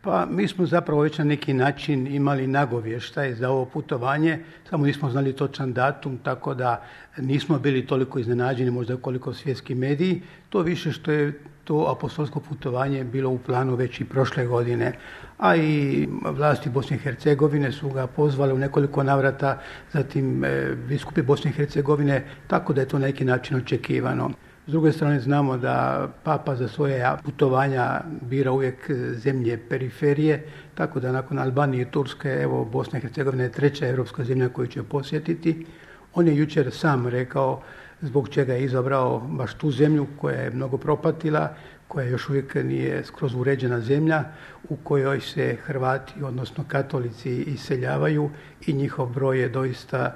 Pa mi smo zapravo već na neki način imali nagovještaj za ovo putovanje, samo nismo znali točan datum, tako da nismo bili toliko iznenađeni možda koliko svjetski mediji, to više što je to apostolsko putovanje bilo u planu već i prošle godine, a i vlasti Bosne i Hercegovine su ga pozvali u nekoliko navrata, zatim biskupi Bosne i Hercegovine, tako da je to na neki način očekivano. S druge strane znamo da Papa za svoje putovanja bira uvijek zemlje periferije, tako da nakon Albanije i Turske, evo Bosna i Hercegovina je treća europska zemlja koju će posjetiti. On je jučer sam rekao zbog čega je izabrao baš tu zemlju koja je mnogo propatila, koja još uvijek nije skroz uređena zemlja, u kojoj se Hrvati, odnosno katolici, iseljavaju i njihov broj je doista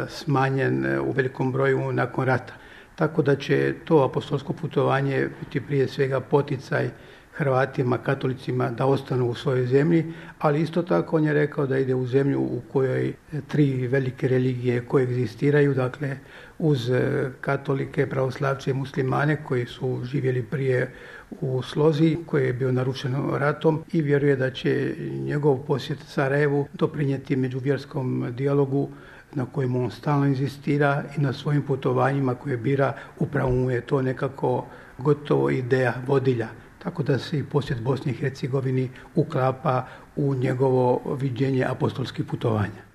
smanjen u velikom broju nakon rata. Tako da će to apostolsko putovanje biti prije svega poticaj Hrvatima, katolicima da ostanu u svojoj zemlji, ali isto tako on je rekao da ide u zemlju u kojoj tri velike religije koegzistiraju, dakle uz katolike, pravoslavce i muslimane koji su živjeli prije u slozi koji je bio narušen ratom i vjeruje da će njegov posjet Sarajevu doprinijeti međuvjerskom dijalogu na kojemu on stalno inzistira i na svojim putovanjima koje bira, upravo mu je to nekako gotovo ideja vodilja. Tako da se i posjet Bosni i Hercegovini uklapa u njegovo viđenje apostolskih putovanja.